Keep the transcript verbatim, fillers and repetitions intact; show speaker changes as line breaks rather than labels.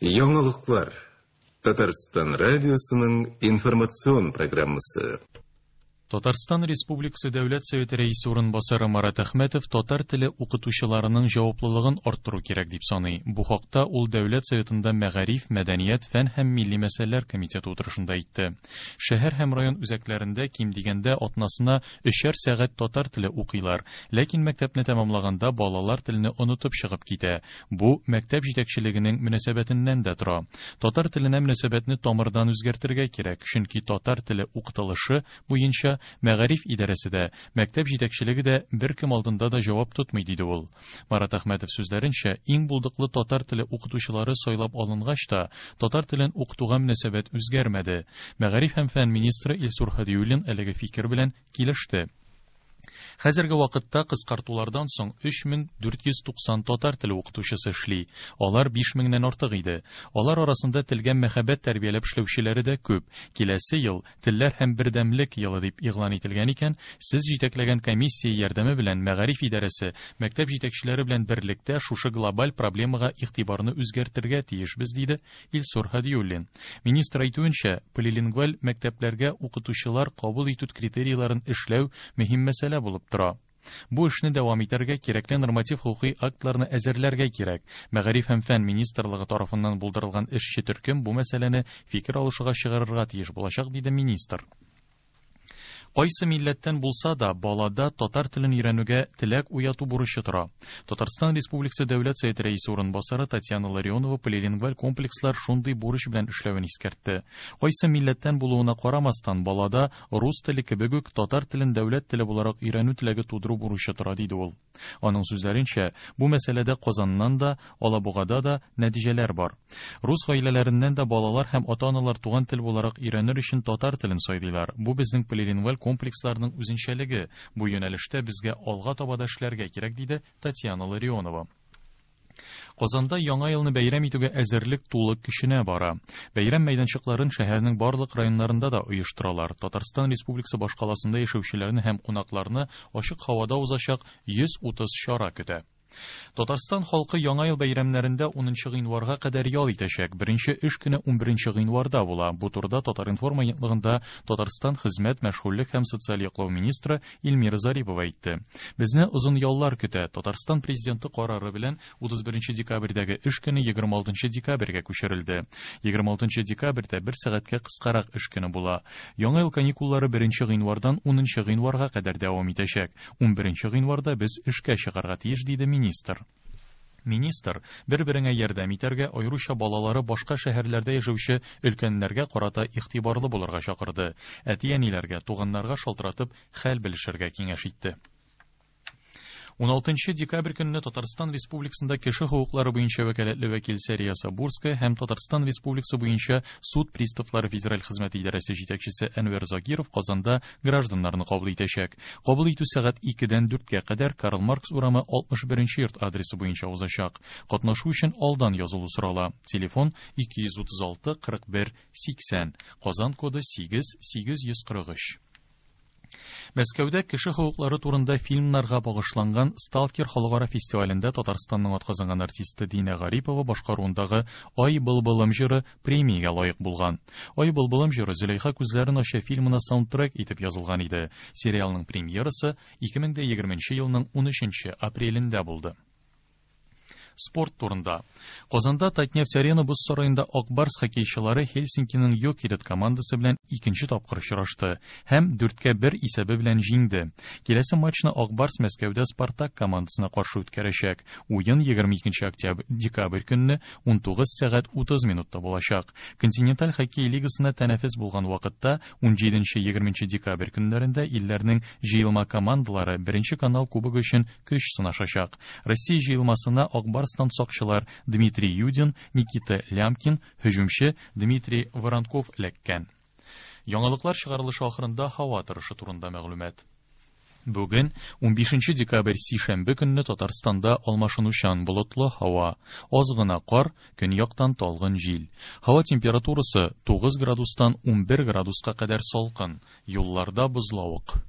Яңалыклар. Татарстан радиосының информацион программасы.
Татарстан Республикасы Дәүләт Советы рәисе урынбасары Марат Әхмәтов татар теле укытучыларының җаваплылыгын арттыру кирәк дип саный. Бу хакта ул Дәүләт Советында Мәгариф, мәдәният, фән һәм милли мәсьәләләр комитеты утырышында әйтте. Шәһәр һәм район үзәкләрендә ким дигәндә атнасына өчәр сәгать татар теле укыйлар. Ләкин мәктәпне тәмамлаганда балалар телне онытып чыгып китә. Бу мәктәп җитәкчелегенең мөнәсәбәтеннән дә тора. Татар теленә мөнәсәбәтне тамырдан үзгәртергә кирәк, чөнки татар теле укытылышы буенча мәгариф идарәсе дә, мәктәп җитәкчелеге дә беркем алдында да җавап тотмый, диде ул. Марат Әхмәтов сүзләренчә, иң булдыклы татар теле укытучылары сайлап алынгач та, татар телен укытуга мөнәсәбәт үзгәрмәде. Мәгариф һәм фән министры Илсур Һадиуллин әлеге фикер белән килеште. Хәзерге вакытта кыскартулардан соң өч мең дүрт йөз туксан татар теле укытучысы эшли. Алар биш меңнән артык иде. Алар арасында телгә мәхәббәт тәрбияләп эшләүчеләре дә күп. Киләсе ел телләр һәм бердәмлек елы дип игълан ителгән икән, сез җитәкләгән комиссия ярдәме белән мәгариф идарәсе, мәктәп җитәкчеләре белән берлектә шушы глобаль проблемага игътибарны үзгәртергә тиешбез, диде Илсур Һадиуллин. Министр әйтүенчә, полилингваль мәктәпләргә укытучылар кабул итү критерийларын эшләү мөһим мәсьәлә булып тора. Бу эшне дәвам итәргә кирәкле норматив хукуки актларны әзерләргә кирәк. Мәгариф һәм фән министрлыгы тарафыннан булдырылган эшче төркем бу мәсьәләне фикер алышуга чыгарырга тиеш булачак, диде министр. Кайсы милләттән булса да, балада татар телен өйрәнүгә теләк уяту бурычы тора. Татарстан Республикасы Дәүләт Советы рәисе урынбасары Татьяна Ларионова полилингваль комплекслар шундый бурыч белән эшләвен искәртте. Кайсы милләттән булуына карамастан, балада рус теле кебек үк татар телен дәүләт теле буларак өйрәнү теләге тудыру бурычы тора, диде ул. Аның сүзләренчә, бу мәсьәләдә Казаннан да, Алабугада да нәтиҗәләр бар. Рус гаиләләреннән дә балалар һәм ата-аналар туган тел буларак өйрәнер өчен татар телен сайлыйлар. Бу безнең полилингваль комплексларның үзенчәлеге. Бу юнәлештә безгә алга таба да эшләргә кирәк, диде Татьяна Ларионова. Казанда Яңа елны бәйрәм итүгә әзерлек тулы көченә бара. Бәйрәм мәйданчыкларын шәһәрнең барлык районнарында да оештыралар. Татарстан Республикасы башкаласында яшәүчеләрне һәм кунакларны ачык һавада узачак йөз утыз чара көтә. Татарстан халкы Яңа ел бәйрәмнәрендә унынчы гыйнварга кадәр ял итәчәк. Беренче эш көне унберенче гыйнварда була. Бу турыда Татар-информ агентлыгында Татарстан хезмәт, мәшгульлек һәм социаль яклау министры Эльмира Зарипова әйтте. Безне озын яллар көтә. Татарстан президенты карары белән утыз беренче декабрьдәге эш көне егерме алтынчы декабрьгә күчерелде. Егерме алтынчы декабрьдә бер сәгатькә кыскарак эш көне була. Яңа ел каникуллары беренче гыйнвардан унынчы гыйнварга кадәр дәвам итәчәк. Унберенче гыйнварда без эшкә чыгарга тиеш, диде министр. Министр бер-береңә ярдәм итәргә, аеруча балалары башка шәһәрләрдә яшәүче өлкәннәргә карата игътибарлы булырга чакырды. Әти-әниләргә, туганнарга шалтыратып хәл белешергә киңәш итте. Уналтынчы декабрь көнне Татарстан Республикасында кеше хокуклары буенча вәкаләтле вәкил Сәрия Сабурская һәм Татарстан Республикасы буенча суд приставлары федераль хезмәте идарәсе җитәкчесе Әнвәр Закиров Казанда гражданнарны кабул итәчәк. Кабул итү сәгать икедән дүрткә кадәр Карл Маркс урамы алтмыш беренче йорт адресы буенча узачак. Катнашу өчен алдан язылу сорала. Телефон ике йөз утыз алты кырык бер сиксән. Казан коды сигез сигез йөз кырык өч. Мәскәүдә кеше хокуклары турында фильмнарга багышланган Сталкер халыкара фестивалендә Татарстанның атказанган артисты Динә Гарипова башкаруындагы Ай былбылым җыры премиягә лаек булган. Ай былбылым җыры Зөләйха күзләрен ача фильмына саундтрек итеп язылган иде. Сериалның премьерасы ике мең дә егерменче елның унөченче апрелендә булды. Спорт турында. Казанда Татнефть Арена боз сараенда Ак Барс хоккейчылары Хельсинкиның Йокерит командасы белән икенче тапкыр очрашты һәм дүрткә бер исәбе белән җиңде. Киләсе матчны Ак Барс Мәскәүдә Спартак командасына каршы үткәрәчәк. Уен егерме икенче октябрь декабрь көнне унтугыз сәгать утыз минутта булачак. Континенталь хоккей лигасына тәнәфес булган вакытта унҗиденче егерменче декабрь көннәрендә илләрнең җыелма командалары беренче канал кубогы өчен көч сынашачак. Россия җыелмасына Ак Барс сакчылар Дмитрий Юдин, Никита Лямкин, һөҗүмче Дмитрий Воронков эләккән. Яңалыклар чыгарылышы ахырында һава торышы турында мәгълүмат. Бүген унбишенче декабрь сишәмбе көнне Татарстанда алмашынучан болытлы һава, аз гына кар, көньяктан талгын җил. Һава температурасы тугыз градустан унбер градуска кадәр салкын, юлларда бозлавык.